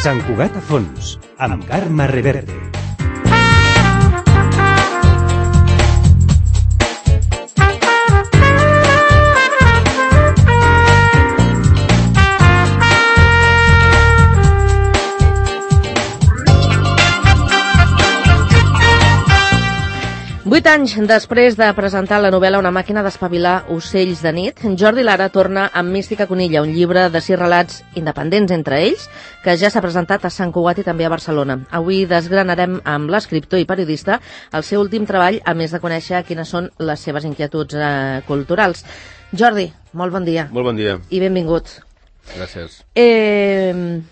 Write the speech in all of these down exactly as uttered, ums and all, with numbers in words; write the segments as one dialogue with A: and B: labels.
A: Sant Cugat a fons, amb Carme Reverte.
B: Vuit anys després de presentar la novel·la Una màquina d'espavilar ocells de nit, Jordi Lara torna amb Mística Conilla, un llibre de sis relats independents entre ells, que ja s'ha presentat a Sant Cugat i també a Barcelona. Avui desgranarem amb l'escriptor i periodista el seu últim treball, a més de conèixer quines són les seves inquietuds eh, culturals. Jordi, molt bon dia.
C: Molt bon dia.
B: I benvingut.
C: Gràcies.
B: Eh,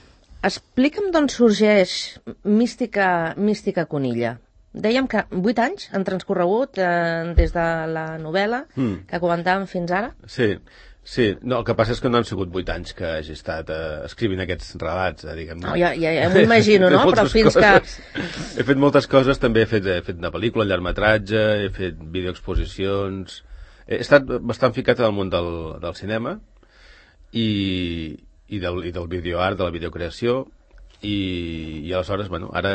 B: explica'm d'on sorgeix Mística, Mística Conilla. Dèiem que vuit anys han transcorregut eh, des de la novel·la mm. que comentàvem fins ara.
C: Sí, sí. No, el que passa és que no han sigut vuit anys que hagi estat eh, escrivint aquests relats, eh, diguem.
B: No, ja, ja, ja m'ho imagino, no? Però fins
C: coses. que... He fet moltes coses, també he fet, he fet una pel·lícula, un llargmetratge, he fet videoexposicions... He estat bastant ficat al món del, del cinema i, i, del, i del videoart, de la videocreació. I, i aleshores, bueno, ara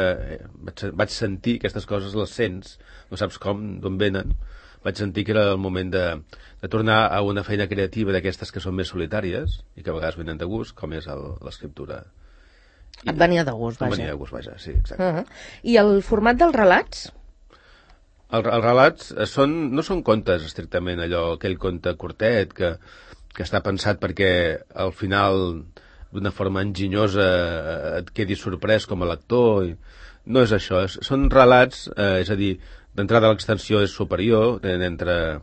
C: vaig, vaig sentir aquestes coses, les sents, no saps com, d'on venen, vaig sentir que era el moment de, de tornar a una feina creativa d'aquestes que són més solitàries i que a vegades venen de gust, com és l'escriptura.
B: Et venia de gust, vaja.
C: Em venia de gust, vaja, sí, exacte.
B: Uh -huh. I el format dels relats?
C: El, els relats són, no són contes, estrictament, allò, aquell conte curtet que, que està pensat perquè al final... d'una forma enginyosa et quedi sorprès com a lector. I no és això, és, són relats, eh, és a dir, d'entrada l'extensió és superior, entre,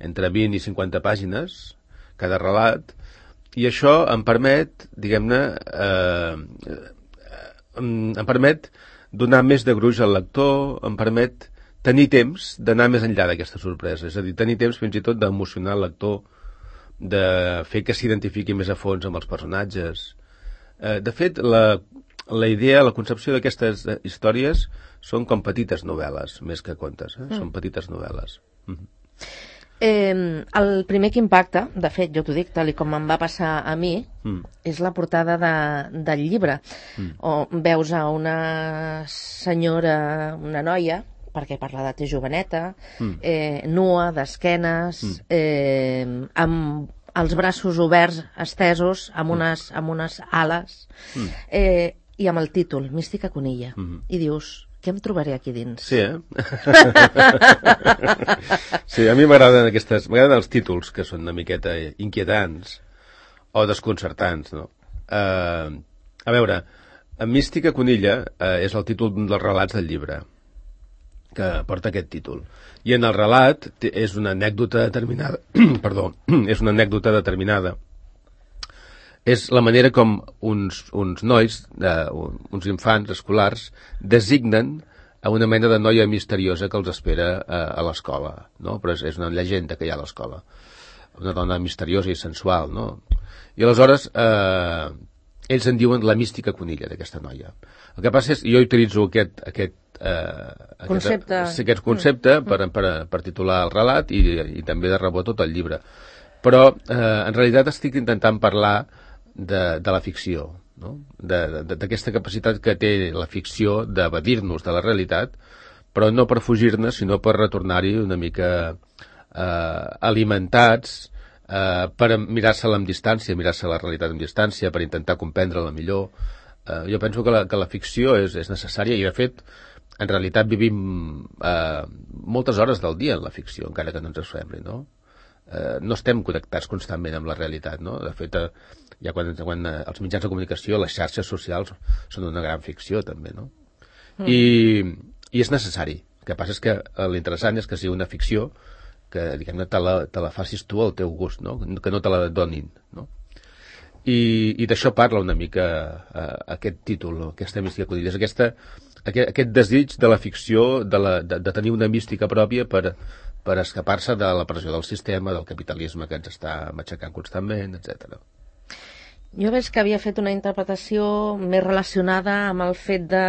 C: entre vint i cinquanta pàgines, cada relat, i això em permet, diguem-ne, eh, em, em permet donar més de gruix al lector, em permet tenir temps d'anar més enllà d'aquesta sorpresa, és a dir, tenir temps fins i tot d'emocionar el lector, de fer que s'identifiqui més a fons amb els personatges. Eh, de fet, la, la idea, la concepció d'aquestes històries són com petites novel·les, més que contes, eh? Mm. Són petites novel·les. Mm -hmm.
B: eh, el primer que impacta, de fet, jo t'ho dic, tal com em va passar a mi, mm. és la portada de, del llibre, mm. on veus a una senyora, una noia, perquè per l'edat és joveneta, mm. eh, nua, d'esquenes, mm. eh, amb els braços oberts, estesos, amb unes, amb unes ales, mm. eh, i amb el títol, Mística Conilla. Mm. I dius, què em trobaré aquí dins?
C: Sí, eh? Sí, a mi m'agraden aquestes, m'agraden els títols que són una miqueta inquietants o desconcertants, no? Uh, a veure, Mística Conilla uh, és el títol dels relats del llibre, que porta aquest títol. I en el relat és una anècdota determinada, perdó, és una anècdota determinada. És la manera com uns, uns nois, eh, uns infants escolars, designen a una mena de noia misteriosa que els espera eh, a l'escola, no? Però és, és una llegenda que hi ha a l'escola. Una dona misteriosa i sensual, no? I aleshores eh, ells en diuen la Mística Conilla d'aquesta noia. El que passa és, jo utilitzo aquest, aquest Uh,
B: concepte,
C: aquest, aquest concepte mm. per, per, per titular el relat i, i també de rebot tot el llibre, però uh, en realitat estic intentant parlar de, de la ficció, no? D'aquesta capacitat que té la ficció d'evadir-nos de la realitat, però no per fugir-ne, sinó per retornar-hi una mica uh, alimentats uh, per mirar-se-la amb distància, mirar-se la realitat amb distància, per intentar comprendre-la millor. Uh, jo penso que la, que la ficció és, és necessària i, de fet, en realitat vivim eh, moltes hores del dia en la ficció, encara que no ens sembli, no? Eh, no estem connectats constantment amb la realitat, no? De fet, eh, ja quan, quan eh, els mitjans de comunicació, les xarxes socials, són una gran ficció, també, no? Mm. I, I és necessari. El que passa és que eh, l'interessant és que sigui una ficció que, diguem-ne, te la, te la facis tu al teu gust, no? Que no te la donin, no? I, i d'això parla una mica eh, aquest títol, aquesta Mística Conilla, és aquesta Aquest, aquest desig de la ficció, de, la, de, de tenir una mística pròpia per, per escapar-se de la pressió del sistema, del capitalisme que ens està matxacant constantment, etcètera.
B: Jo veig que havia fet una interpretació més relacionada amb el fet de,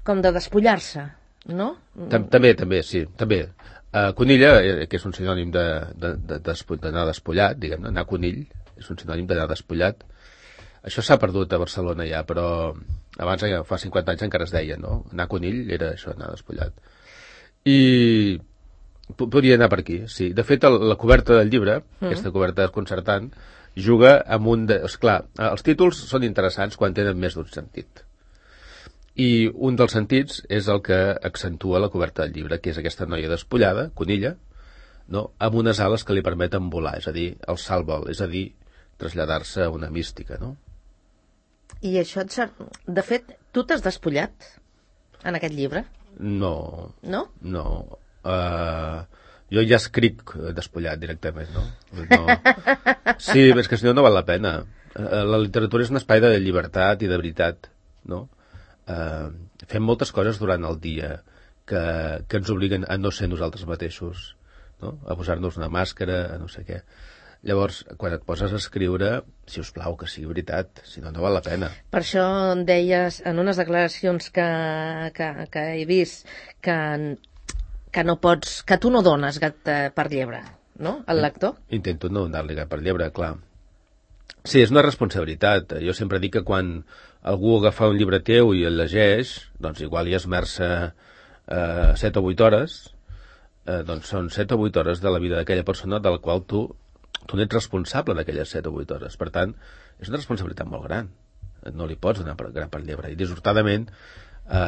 B: com de despullar-se, no?
C: També, també, sí, també. Uh, Conilla, eh, que és un sinònim d'anar de, de, de, de despullat, diguem-ne, anar conill, és un sinònim d'anar despullat. Això s'ha perdut a Barcelona ja, però abans, fa cinquanta anys, encara es deia, no? Anar conill era això, anar despullat. I podria anar per aquí, sí. De fet, el, la coberta del llibre, mm. aquesta coberta desconcertant, juga amb un... De... Esclar, els títols són interessants quan tenen més d'un sentit. I un dels sentits és el que accentua la coberta del llibre, que és aquesta noia despullada, Conilla, no? Amb unes ales que li permeten volar, és a dir, el salt-vol, és a dir, traslladar-se a una mística, no?
B: I això, de fet, tu t'has despullat en aquest llibre?
C: No.
B: No?
C: No. Uh, jo ja escric despullat directament, no? no. Sí, és que si no, no val la pena. Uh, la literatura és un espai de llibertat i de veritat, no? Uh, fem moltes coses durant el dia que, que ens obliguen a no ser nosaltres mateixos, no? A posar-nos una màscara, a no sé què. Llavors, quan et poses a escriure, si us plau, que sigui veritat, si no, no val la pena.
B: Per això deies, en unes declaracions que, que, que he vist, que, que no pots, que tu no dones gat per llebre, no?, al lector?
C: Intento no donar-li gat per llebre, clar. Sí, és una responsabilitat. Jo sempre dic que quan algú agafa un llibre teu i el llegeix, doncs igual hi esmerça eh, set o vuit hores, eh, doncs són set o vuit hores de la vida d'aquella persona de la qual tu tu n'ets responsable d'aquelles set o vuit hores. Per tant, és una responsabilitat molt gran. No li pots donar per, gran per llebre. I dissortadament, eh,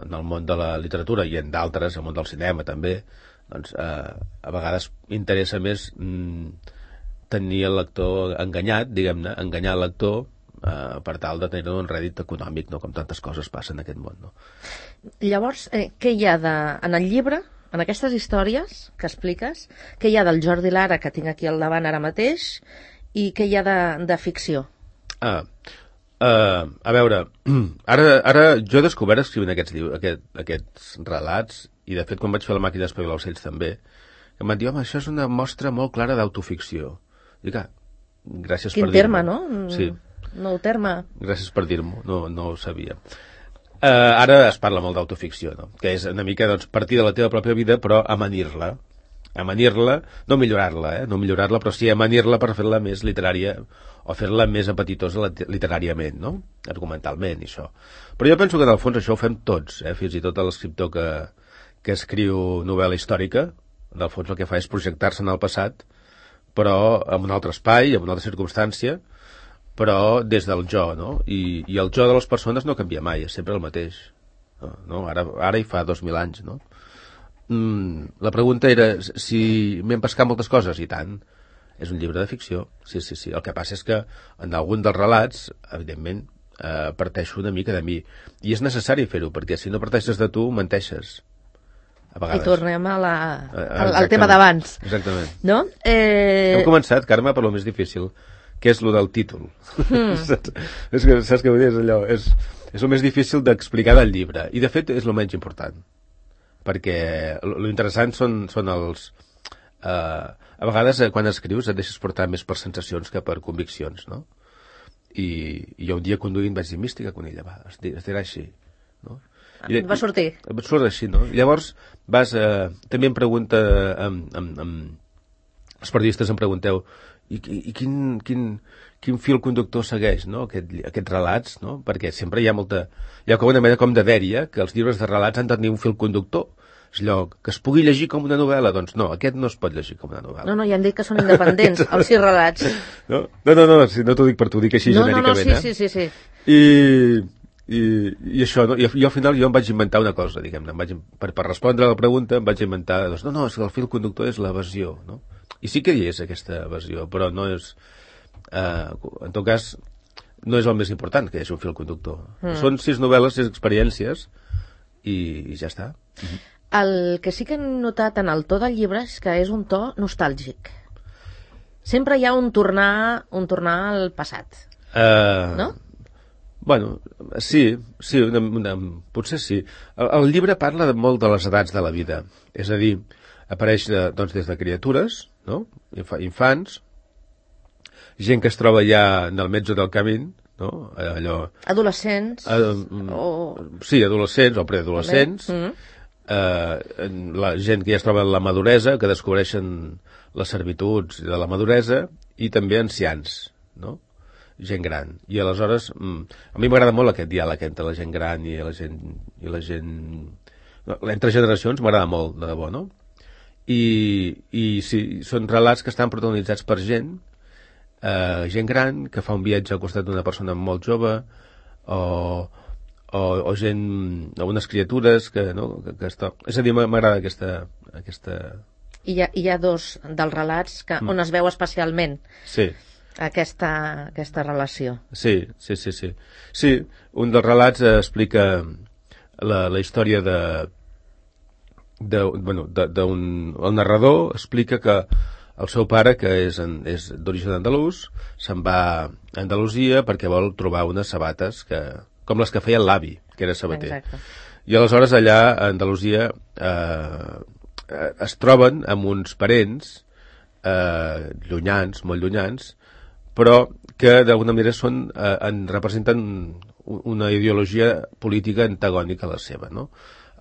C: en el món de la literatura i en d'altres, el món del cinema també, doncs eh, a vegades interessa més mm, tenir el lector enganyat, diguem-ne, enganyar el lector eh, per tal de tenir un rèdit econòmic, no? Com tantes coses passen en aquest món, no?
B: Llavors, eh, què hi ha de, en el llibre, en aquestes històries que expliques, què hi ha del Jordi Lara, que tinc aquí al davant ara mateix, i què hi ha de, de ficció?
C: Ah, uh, a veure, ara, ara jo he descobert escrivint aquests, aquest, aquests relats, i de fet quan vaig fer La màquina d'espavilar ocells també, que em van dir, home, això és una mostra molt clara d'autoficció. Dic, ah, gràcies
B: Quin
C: per dir-m'ho.
B: terme, no?
C: Sí.
B: Nou terme.
C: Gràcies per dir-m'ho, no, no ho sabia. Uh, ara es parla molt d'autoficció, no? Que és una mica doncs, partir de la teva pròpia vida, però amanir-la. Amanir-la, no millorar-la, eh? no millorar-la, però sí amanir-la per fer-la més literària o fer-la més apetitosa literàriament, no? Argumentalment, i això. Però jo penso que en el fons això ho fem tots, eh? Fins i tot l'escriptor que, que escriu novel·la històrica, en el fons el que fa és projectar-se en el passat, però en un altre espai, en una altra circumstància, però des del jo, no? I, i el jo de les persones no canvia mai, és sempre el mateix. No? Ara, ara hi fa dos mil anys, no? Mm, la pregunta era si m'hem pescat moltes coses, i tant. És un llibre de ficció, sí, sí, sí. El que passa és que en algun dels relats, evidentment, eh, parteixo una mica de mi. I és necessari fer-ho, perquè si no parteixes de tu, menteixes. A vegades.
B: I tornem a la, al, al tema d'abans.
C: Exactament.
B: No? Eh...
C: Hem començat, Carme, per lo més difícil, que és lo del títol. Mm. saps, és que, saps què vull dir? És allò, és, és el més difícil d'explicar del llibre. I, de fet, és el menys important. Perquè lo interessant són, són els... Eh, a vegades, eh, quan escrius, et deixes portar més per sensacions que per conviccions, no? I, i jo un dia conduint vaig dir, mística, Conilla, va, es, es dirà així, no?
B: I, va sortir.
C: I, va sortir així, no? Llavors, vas... Eh, també em pregunta... Amb, amb, amb, els periodistes em pregunteu i, i, i quin, quin, quin fil conductor segueix, no? Aquest, aquests relats, no? Perquè sempre hi ha molta... Hi ha com una mena com de dèria que els llibres de relats han de tenir un fil conductor. És allò, que es pugui llegir com una novel·la. Doncs no, aquest no es pot llegir com una novel·la.
B: No, no, ja han dit que són independents, els sis relats.
C: No, no, no, no, si no t'ho dic per tu, dic així
B: no,
C: genèricament.
B: No, no, sí,
C: eh?
B: sí, sí, sí.
C: I... I, i això, no? I, i al final jo em vaig inventar una cosa, diguem-ne, vaig, per, per respondre a la pregunta em vaig inventar, doncs, no, no, és que el fil conductor és l'evasió, no? I sí que hi és aquesta evasió, però no és, eh, en tot cas, no és el més important que hi hagi un fil conductor. Mm. Són sis novel·les, sis experiències, i, i ja està. Mm-hmm.
B: El que sí que he notat en el to del llibre és que és un to nostàlgic. Sempre hi ha un tornar, un tornar al passat, uh... no?
C: Bueno, sí, sí, una, una, potser sí. El, el llibre parla de molt de les edats de la vida. És a dir, apareix de, doncs, des de criatures, no? Infa, infants, gent que es troba ja en el metge del camí, no? Allò...
B: Adolescents.
C: Uh, o... Sí, adolescents o preadolescents. Mm. eh, la gent que ja es troba en la maduresa, que descobreixen les servituds de la maduresa, i també ancians, no? Gent gran. I aleshores, a mi m'agrada molt aquest diàleg entre la gent gran i la gent... I la gent... entre generacions m'agrada molt, de debò, no? I, i sí, són relats que estan protagonitzats per gent, eh, gent gran, que fa un viatge al costat d'una persona molt jove, o, o, o gent, o unes criatures que, no, que, que està... És a dir, m'agrada aquesta... aquesta...
B: I hi ha, hi ha dos dels relats que, mm. on es veu especialment
C: sí.
B: aquesta, aquesta relació.
C: Sí, sí, sí, sí. Sí, un dels relats explica la, la història de... de bueno, d'un... El narrador explica que el seu pare, que és, en, és d'origen andalús, se'n va a Andalusia perquè vol trobar unes sabates que, com les que feia l'avi, que era sabater.
B: Exacte.
C: I aleshores allà a Andalusia eh, es troben amb uns parents eh, llunyans, molt llunyans, però que d'alguna manera són, eh, en representen una ideologia política antagònica a la seva, no?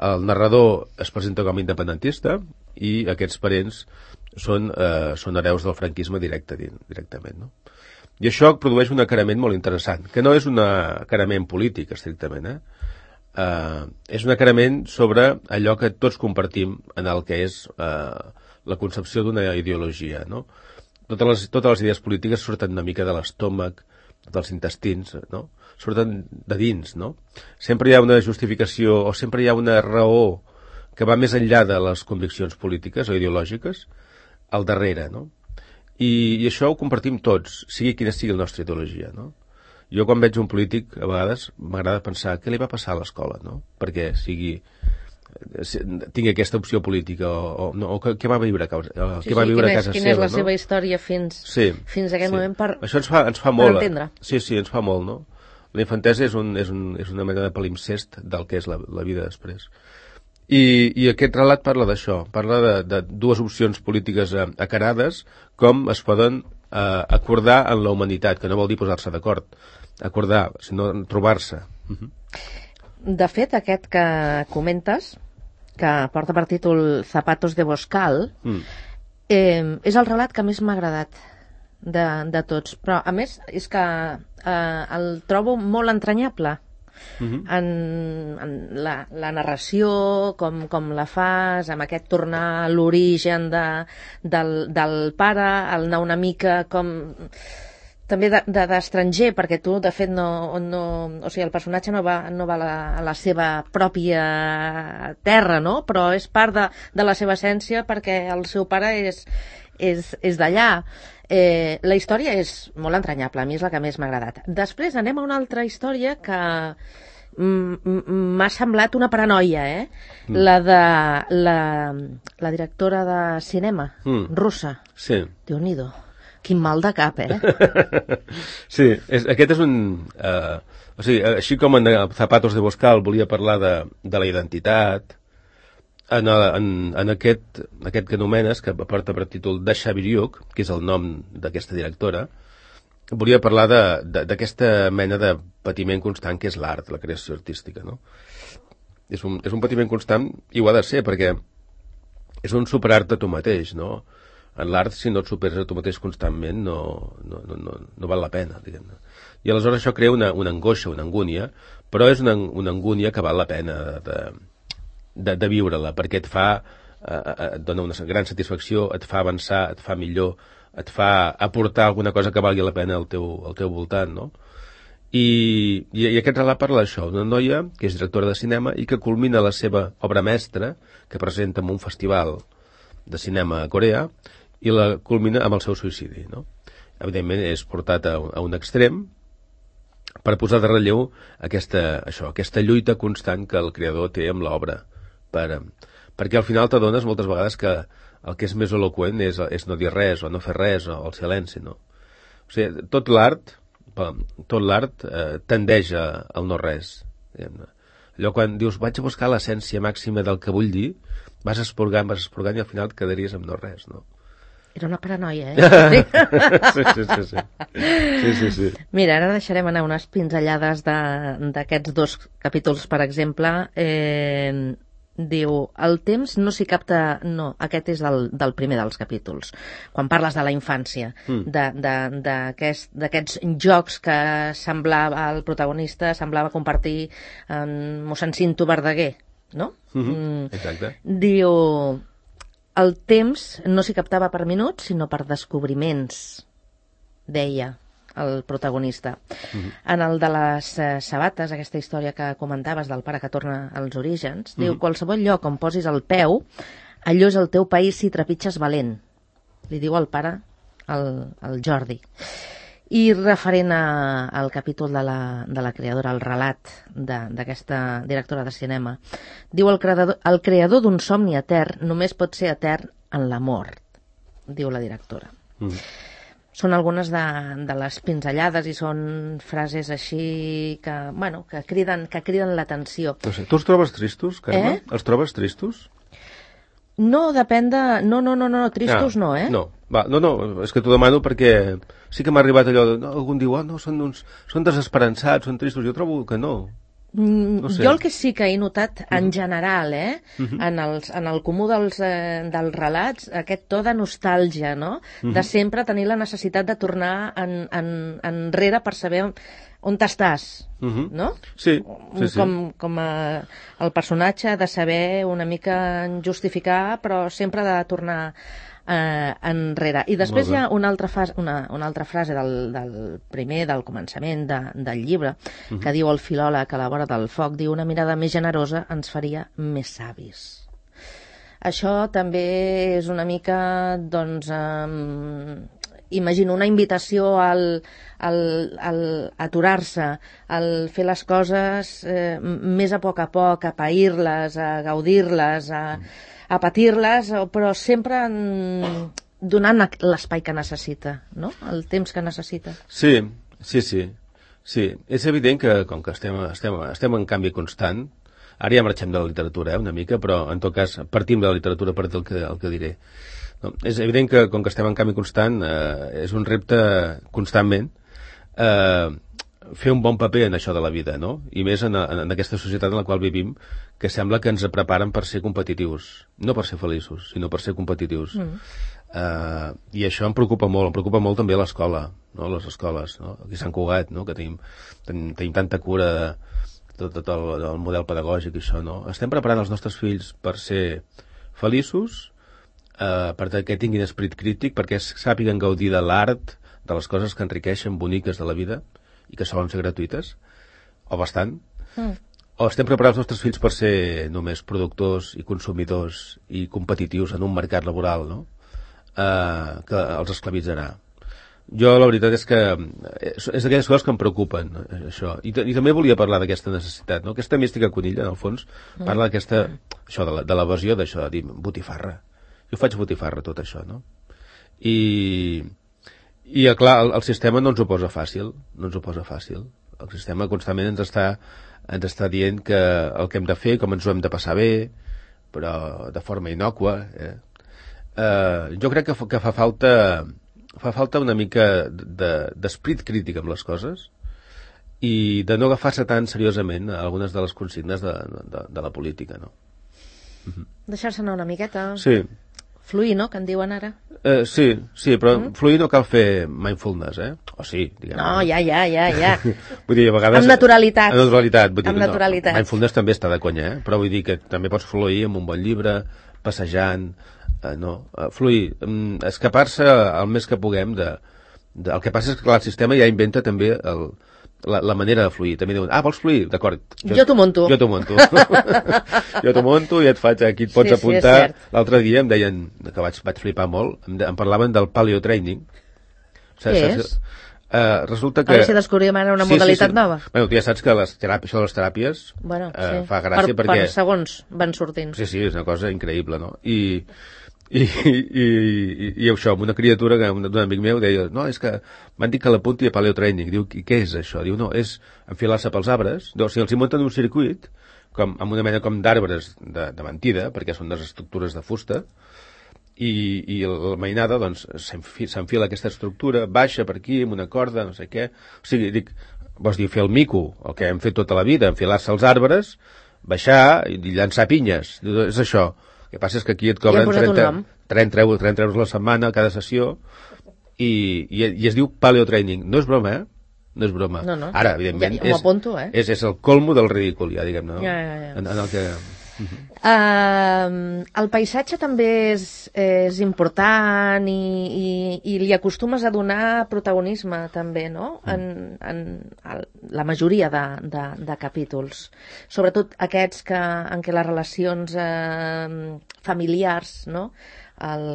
C: El narrador es presenta com a independentista i aquests parents són, eh, són hereus del franquisme directe, directament, no? I això produeix un acarament molt interessant, que no és un acarament polític, estrictament, eh? Uh, és un acarament sobre allò que tots compartim en el que és uh, la concepció d'una ideologia, no? Totes les, totes les idees polítiques surten una mica de l'estómac, dels intestins, no? Surten de dins, no? Sempre hi ha una justificació o sempre hi ha una raó que va més enllà de les conviccions polítiques o ideològiques al darrere, no? I, i això ho compartim tots, sigui quina sigui la nostra ideologia, no? Jo quan veig un polític, a vegades m'agrada pensar què li va passar a l'escola, no? Perquè sigui tingui aquesta opció política o, o, no, o què va viure a casa,
B: sí,
C: què va viure
B: sí,
C: a casa
B: quina
C: seva,
B: és la
C: no?
B: seva història fins,
C: sí,
B: fins a aquest
C: sí.
B: moment per,
C: això ens fa, ens fa molt,
B: per entendre.
C: Sí, sí, ens fa molt, no? La infantesa és, un, és, un, és una mena de palimpsest del que és la, la vida després. I, i aquest relat parla d'això, parla de, de dues opcions polítiques eh, acarades, com es poden eh, acordar en la humanitat, que no vol dir posar-se d'acord, acordar, sinó trobar-se. Uh-huh.
B: De fet, aquest que comentes, que porta per títol Zapatos de Boscal, mm. eh, és el relat que més m'ha agradat de, de tots. Però, a més, és que eh, el trobo molt entranyable. Mm-hmm. en, en la, la narració, com, com la fas, amb aquest tornar a l'origen de, del, del pare, el anar una mica com... també d'estranger, de, perquè tu, de fet, no, no, o sigui, el personatge no va, no va a, la, a la seva pròpia terra, no? Però és part de, de la seva essència perquè el seu pare és, és, és d'allà. Eh, la història és molt entranyable, a mi és la que més m'ha agradat. Després anem a una altra història que m'ha semblat una paranoia, eh? Mm. La de la, la directora de cinema, mm. russa.
C: Sí.
B: Déu-n'hi-do. Quin mal de cap, eh?
C: Sí, és, aquest és un... Uh, o sigui, així com en Zapatos de Boscal volia parlar de, de la identitat, en, en, en aquest, aquest que anomenes, que porta per títol Dasha Biryuk, que és el nom d'aquesta directora, volia parlar d'aquesta mena de patiment constant que és l'art, la creació artística, no? És un, és un patiment constant, i ho ha de ser, perquè és un superart de tu mateix, no? En l'art, si no et superes a tu mateix constantment, no, no, no, no, no val la pena, diguem-ne. I aleshores això crea una, una angoixa, una angúnia, però és una, una angúnia que val la pena de, de, de viure-la, perquè et fa, eh, et dona una gran satisfacció, et fa avançar, et fa millor, et fa aportar alguna cosa que valgui la pena al teu, al teu voltant, no? I, i, i aquest relat parla d'això, una noia que és directora de cinema i que culmina la seva obra mestra, que presenta en un festival de cinema a Corea, i la culmina amb el seu suïcidi, no? Evidentment és portat a, a un extrem per posar de relleu aquesta, això, aquesta lluita constant que el creador té amb l'obra, per, perquè al final t'adones moltes vegades que el que és més eloqüent és, és no dir res o no fer res o el silenci, no? O sigui, tot l'art tot l'art eh, tendeix al no res, diguem-ne. Allò quan dius vaig a buscar l'essència màxima del que vull dir, vas esporgant, vas esporgant i al final et quedaries amb no res, no?
B: Era una paranoia, eh?
C: sí, sí, sí, sí. sí, sí, sí.
B: Mira, ara deixarem anar unes pinzellades d'aquests dos capítols, per exemple. Eh, Diu, el temps no s'hi capta... No, aquest és del, del primer dels capítols. Quan parles de la infància, mm. d'aquests aquest, jocs que semblava, el protagonista semblava compartir amb mossèn Cinto Verdaguer, no?
C: Mm-hmm. Mm. Exacte.
B: Diu, el temps no s'hi captava per minuts, sinó per descobriments, deia el protagonista. Mm-hmm. En el de les eh, sabates, aquesta història que comentaves del pare que torna als orígens, mm-hmm. diu, qualsevol lloc on posis el peu, allò és el teu país si trepitges valent. Li diu el pare al, al Jordi. I referent a, al capítol de la, de la creadora, el relat d'aquesta directora de cinema, diu, el creador, el creador d'un somni etern només pot ser etern en la mort, diu la directora. Mm-hmm. Són algunes de, de les pinzellades i són frases així que, bueno, que criden, que criden l'atenció.
C: No sé, tu els trobes tristos, Carme? Eh? Els trobes tristos?
B: No, depèn de... No, no, no, no, tristos ah, no, eh?
C: No, va, no, no, és que t'ho demano perquè sí que m'ha arribat allò de... No, algun diu, oh, no, són, uns, són desesperançats, són tristos. Jo trobo que no.
B: No sé. Jo el que sí que he notat en general, eh, uh-huh. en, els, en el comú dels, eh, dels relats, aquest to de nostàlgia, no? Uh-huh. De sempre tenir la necessitat de tornar en, en, enrere per saber on, on t'estàs, uh-huh. no?
C: Sí, sí, sí.
B: Com, com a, el personatge de saber una mica justificar, però sempre de tornar eh, enrere. I després hi ha una altra, fase, una, una altra frase del, del primer, del començament de, del llibre, uh-huh. que diu el filòleg a la vora del foc, diu, una mirada més generosa ens faria més savis. Això també és una mica, doncs, um, imagino, una invitació al, al, al aturar-se, al fer les coses eh, més a poc a poc, a pair-les, a gaudir-les, a... a patir-les, però sempre donant l'espai que necessita, no? El temps que necessita.
C: Sí, sí, sí. Sí, és evident que, com que estem, estem, estem en canvi constant, ara ja marxem de la literatura, eh, una mica, però en tot cas partim de la literatura per dir el que, el que diré. No, és evident que, com que estem en canvi constant, eh, és un repte constantment eh, fer un bon paper en això de la vida, no? I més en, en, en aquesta societat en la qual vivim, que sembla que ens preparen per ser competitius. No per ser feliços, sinó per ser competitius. Mm. Uh, I això em preocupa molt. Em preocupa molt també l'escola, no? Les escoles, no? Aquí a Sant Cugat, no? Que tenim, tenim, tenim tanta cura de tot, tot el, el model pedagògic i això, no? Estem preparant els nostres fills per ser feliços, uh, perquè tinguin esperit crític, perquè sàpiguen gaudir de l'art, de les coses que enriqueixen, boniques de la vida, i que solen ser gratuïtes, o bastant, mm. o estem preparant els nostres fills per ser només productors i consumidors i competitius en un mercat laboral, no? Uh, que els esclavitzarà. Jo la veritat és que és, és d'aquelles coses que em preocupen, això. I, I també volia parlar d'aquesta necessitat, no? Aquesta mística conilla, en el fons, mm. parla d'aquesta, això, de, la, de l'evasió, d'això, de dir, botifarra. Jo faig botifarra, tot això, no? I... I, clar, el, el sistema no ens ho posa fàcil, no ens ho posa fàcil. El sistema constantment ens està, ens està dient que el que hem de fer, com ens ho hem de passar bé, però de forma innòcua. Eh? Uh, jo crec que, fa, que fa falta fa falta una mica d'esprit de, crític amb les coses i de no agafar-se tan seriosament algunes de les consignes de, de, de la política, no? Uh-huh.
B: Deixar-se anar una miqueta.
C: Sí.
B: Fluir, no?, que en diuen ara.
C: Eh, sí, sí, però mm? fluir no cal fer mindfulness, eh? O sí, diguem.
B: No, ja, ja, ja, ja.
C: Vull dir, a vegades...
B: Amb naturalitat.
C: Amb naturalitat. Vull dir,
B: amb naturalitat.
C: No, mindfulness també està de conya, eh? Però vull dir que també pots fluir amb un bon llibre, passejant, eh, no, eh, fluir, mm, escapar-se el més que puguem de, de... El que passa és que clar, el sistema ja inventa també el... La, la manera de fluir. També diuen, ah, vols fluir? D'acord.
B: Jo, jo t'ho monto.
C: Jo t'ho monto. jo t'ho monto i et faig, aquí et pots sí, apuntar. Sí, l'altre dia em deien, que vaig, vaig flipar molt, em, de, em parlaven del paleotraining.
B: O sigui, què és?
C: Uh, resulta que...
B: A veure si descobrim ara una
C: sí,
B: modalitat
C: sí, sí.
B: nova.
C: Bueno, tu ja saps que les teràpies, això de les teràpies
B: bueno,
C: uh,
B: sí.
C: fa gràcia
B: per,
C: perquè...
B: Per segons van sortint.
C: Sí, sí, és una cosa increïble, no? I... I, i, i, i això, amb una criatura d'un amic meu deia, no, és que m'han dit que l'apunti a paleotraining. Diu, i què és això? Diu, no, és enfilar-se pels arbres. O sigui, els hi munten un circuit com, amb una mena com d'arbres de, de mentida, perquè són unes estructures de fusta, i, i la mainada doncs s'enfila aquesta estructura, baixa per aquí amb una corda, no sé què. O sigui, dic, vols dir, fer el mico, el que hem fet tota la vida, enfilar-se als arbres, baixar i llançar pinyes. És això. El que passa és que aquí et cobren trenta, trenta, trenta euros la setmana cada sessió i, i, i es diu paleotraining. No és broma, eh? No és broma.
B: No, no.
C: Ara, evidentment,
B: ja, ja apunto, eh?
C: és, és el colmo del ridícul, ja, diguem-ne. No?
B: Ja, ja, ja.
C: En, en el que...
B: Uh, el paisatge també és, és important i, i, i li acostumes a donar protagonisme també, no? En, en el, la majoria de, de, de capítols, sobretot aquests que, en què les relacions uh, familiars, no? El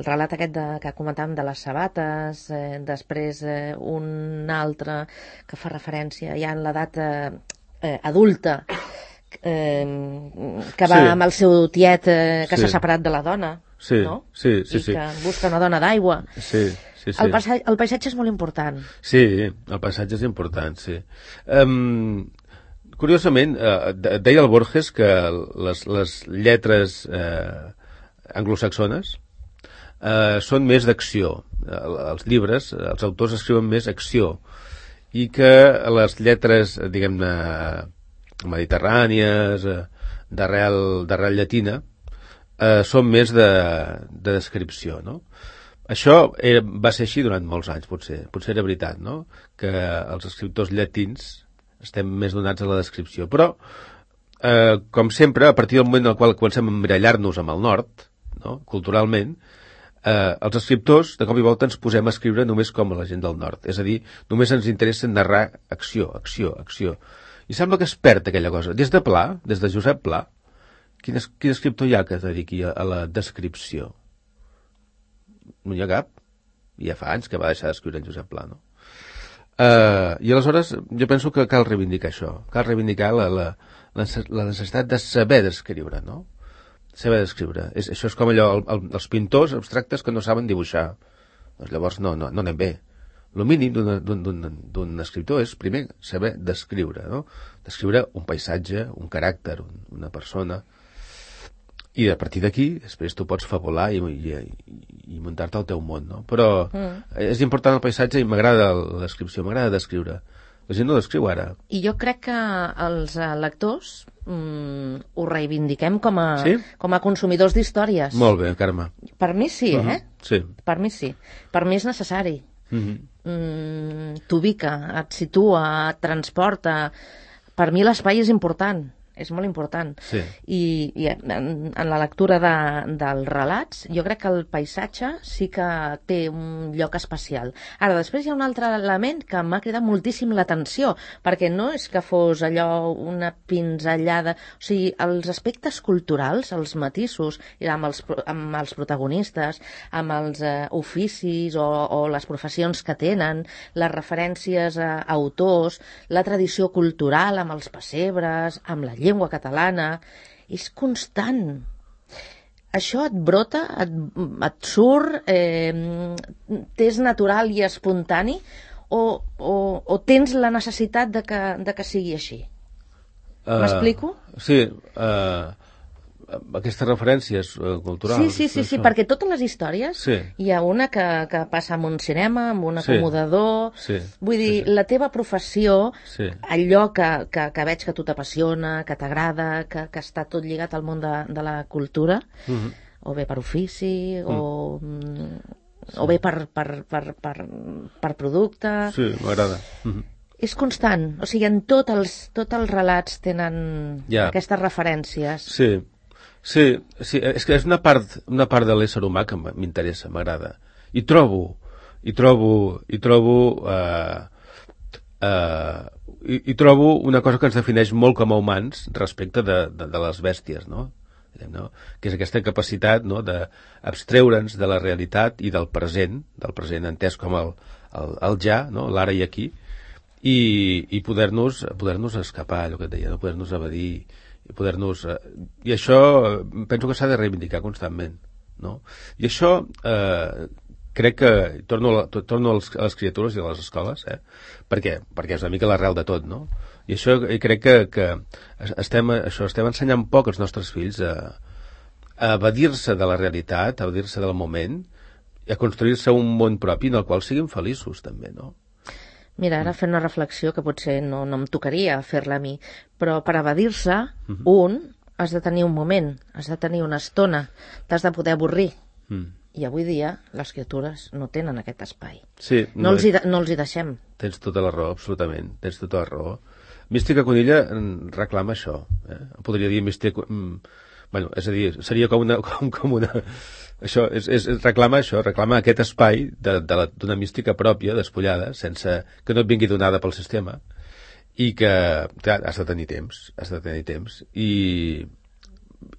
B: relat aquest de, que comentàvem de les sabates, eh, després eh, un altre que fa referència ja en l'edat eh, eh, adulta, Eh, que va sí. amb el seu tiet eh, que s'ha sí. separat de la dona,
C: sí.
B: no?
C: Sí, sí,
B: i
C: sí.
B: que busca una dona d'aigua.
C: Sí, sí, sí.
B: El, paisatge, el paisatge és molt important.
C: Sí, el paisatge és important, sí. Um, curiosament, uh, deia el Borges que les, les lletres uh, anglosaxones uh, són més d'acció. Uh, els llibres, els autors escriuen més acció, i que les lletres, diguem-ne, mediterrànies, d'arrel llatina, eh, són més de, de descripció, no? Això era, va ser així durant molts anys, potser. Potser era veritat, no? Que els escriptors llatins estem més donats a la descripció. Però, eh, com sempre, a partir del moment en el qual comencem a emmirallar-nos amb el nord, no? Culturalment, eh, els escriptors, de cop i volta, ens posem a escriure només com la gent del nord. És a dir, només ens interessa narrar acció, acció, acció. I sembla que es perd aquella cosa. Des de Pla, des de Josep Pla, quin, es, quin escriptor hi ha que es dediqui a, a la descripció? No hi ha cap. Ja fa anys que va deixar d'escriure en Josep Pla, no? Uh, I aleshores jo penso que cal reivindicar això. Cal reivindicar la, la, la necessitat de saber descriure, no? Saber descriure. És, això és com allò, el, el, els pintors abstractes que no saben dibuixar. Doncs llavors no, no, no anem bé. El mínim d'un escriptor és, primer, saber descriure, no? Descriure un paisatge, un caràcter, un, una persona, i a partir d'aquí, després tu pots fabular i, i, i muntar-te el teu món, no? Però mm. és important el paisatge i m'agrada la descripció, m'agrada descriure. La gent no descriu ara.
B: I jo crec que els lectors mm, ho reivindiquem com a,
C: sí?
B: com a consumidors d'històries.
C: Molt bé, Carme.
B: Per mi sí, uh -huh. eh?
C: Sí.
B: Per mi sí. Per mi és necessari.
C: Uh-huh.
B: Mm, t'ubica, et situa, et transporta. Per mi l'espai és important, és molt important.
C: Sí.
B: I, i en, en la lectura de, dels relats, jo crec que el paisatge sí que té un lloc especial. Ara, després hi ha un altre element que m'ha cridat moltíssim l'atenció, perquè no és que fos allò una pinzellada, o sigui, els aspectes culturals, els matisos, amb els, amb els protagonistes, amb els eh, oficis o, o les professions que tenen, les referències a autors, la tradició cultural amb els pessebres, amb la llengua catalana, és constant. Això et brota, et, et surt, eh, t'és natural i espontani, o, o, o tens la necessitat de que, de que sigui així? Uh, M'explico?
C: Sí, uh, aquestes referències uh, culturals.
B: Sí, sí, sí, sí, perquè totes les històries,
C: sí.
B: Hi ha una que, que passa en un cinema, amb un acomodador,
C: sí. Sí.
B: Vull dir, sí, sí. La teva professió,
C: sí.
B: allò que, que, que veig que a tu t'apassiona, que t'agrada, que, que està tot lligat al món de, de la cultura, uh-huh. o bé per ofici, uh-huh. o, sí. o bé per, per, per, per, per producte...
C: Sí, m'agrada. Uh-huh.
B: És constant, o sigui, en tots els, tots els relats tenen
C: ja.
B: Aquestes referències.
C: Sí. Sí, sí, és que és una part, una part de l'ésser humà que m'interessa, m'agrada. I trobo, i trobo, i trobo, eh, eh, i, i trobo una cosa que ens defineix molt com a humans respecte de, de, de les bèsties, no? no? Que és aquesta capacitat, no?, d'abstreure'ns de la realitat i del present, del present entès com el, el, el ja, no?, l'ara i aquí, i, i poder-nos poder-nos escapar, allò que et deia, no? Poder-nos evadir, i poder-nos... I això penso que s'ha de reivindicar constantment, no? I això eh, crec que... Torno, a, torno als, a les criatures i a les escoles, eh? Per què? Perquè és una mica l'arrel de tot, no? I això i crec que, que estem, això, estem ensenyant poc als nostres fills a, a evadir-se de la realitat, a evadir-se del moment, i a construir-se un món propi en el qual siguin feliços, també, no?
B: Mira, ara fent una reflexió que potser no, no em tocaria fer-la a mi, però per evadir-se, mm. un, has de tenir un moment, has de tenir una estona, t'has de poder avorrir. Mm. I avui dia les criatures no tenen aquest espai.
C: Sí,
B: no, no, els hi de, no els hi deixem.
C: Tens tota la raó, absolutament. Tens tota la raó. Mística Conilla reclama això. Eh? Podria dir Mística... Bueno, és a dir, seria com una... Com, com una... Això, és, és, reclama això, reclama aquest espai d'una de, de mística pròpia, despullada, sense que no et vingui donada pel sistema, i que, clar, has de tenir temps, has de tenir temps, i,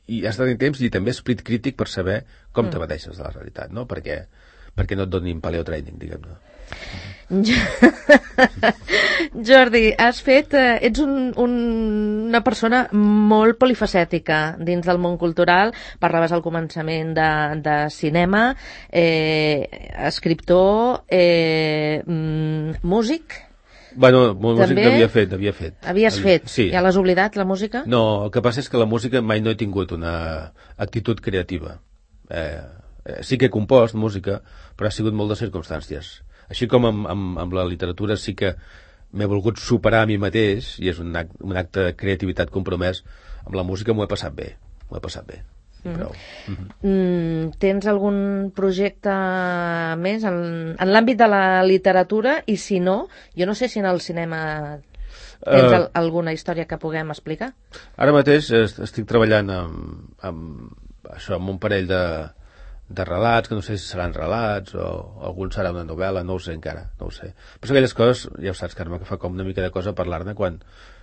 C: i has de tenir temps i també esprit crític per saber com mm. t'abadeixes de la realitat, no? Perquè, perquè no et donin paleotraining, diguem-ne.
B: Jordi, has fet, eh, ets un, un, una persona molt polifacètica dins del món cultural. Parlaves al començament de, de cinema, eh, escriptor, eh, músic.
C: Bueno, músic n'havia fet, n'havia fet.
B: Havies fet?
C: Sí.
B: Ja l'has oblidat, la música?
C: No, el que passa és que la música mai no he tingut una actitud creativa. Eh, eh, sí que he compost música, però ha sigut molt de circumstàncies. Així com amb, amb, amb la literatura sí que m'he volgut superar a mi mateix, i és un acte, un acte de creativitat compromès, amb la música m'ho he passat bé, m'ho he passat bé. Mm -hmm. Prou. Mm -hmm.
B: mm, tens algun projecte més en, en l'àmbit de la literatura? I si no, jo no sé si en el cinema tens uh, alguna història que puguem explicar?
C: Ara mateix estic treballant amb, amb, això, amb un parell de de relats, que no sé si seran relats o algun serà una novel·la, no ho sé encara, no ho sé. Però aquelles coses, ja ho saps, Carme, que fa com una mica de cosa parlar-ne quan,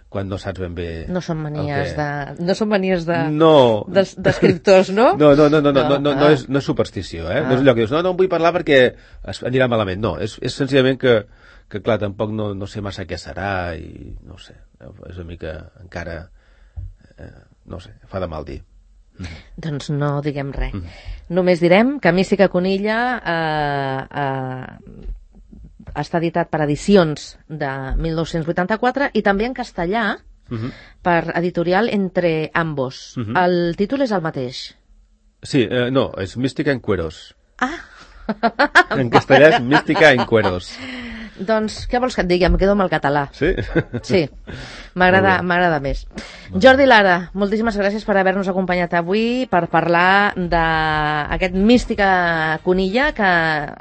C: quan no saps ben bé...
B: No són manies que... de... No són manies de...
C: No.
B: d'escriptors, no?
C: No, no, no, no, no, no, no, no, és, no és superstició, eh? Ah. No és allò que dius, no, no en vull parlar perquè anirà malament. No, és, és senzillament que, que clar, tampoc no, no sé massa què serà i no sé, és una mica encara, eh, no sé, fa de mal dir.
B: Mm-hmm. Doncs no diguem res. Mm-hmm. Només direm que Mística Conilla eh, eh, està editat per Edicions de mil nou-cents vuitanta-quatre i també en castellà mm-hmm. per editorial Entre Ambos. Mm-hmm. El títol és el mateix.
C: Sí, eh, no, és Mística en Cueros.
B: Ah!
C: En castellà és Mística en Cueros.
B: Doncs què vols que et digui? Em quedo amb el català.
C: Sí?
B: Sí, m'agrada més. Jordi Lara, moltíssimes gràcies per haver-nos acompanyat avui per parlar d'aquest Mística Conilla que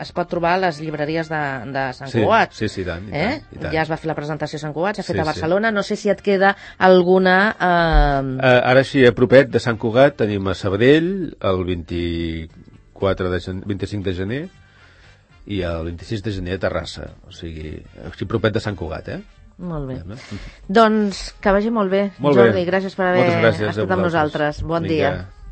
B: es pot trobar a les llibreries de, de Sant
C: sí,
B: Cugat.
C: Sí, sí, i tant, i
B: eh?
C: tant, i tant.
B: Ja es va fer la presentació a Sant Cugat, s'ha fet
C: sí,
B: a Barcelona.
C: Sí.
B: No sé si et queda alguna... Eh...
C: Uh, ara sí, a propet de Sant Cugat tenim a Sabadell el vint-i-quatre de gener, vint-i-cinc de gener i el vint-i-sis de gener a Terrassa, o sigui, així propet de Sant Cugat, eh?
B: Molt bé. Ja, doncs que vagi molt bé,
C: molt
B: Jordi,
C: bé.
B: Gràcies per haver
C: gràcies
B: estat amb nosaltres. Bon
C: Vinga.
B: dia.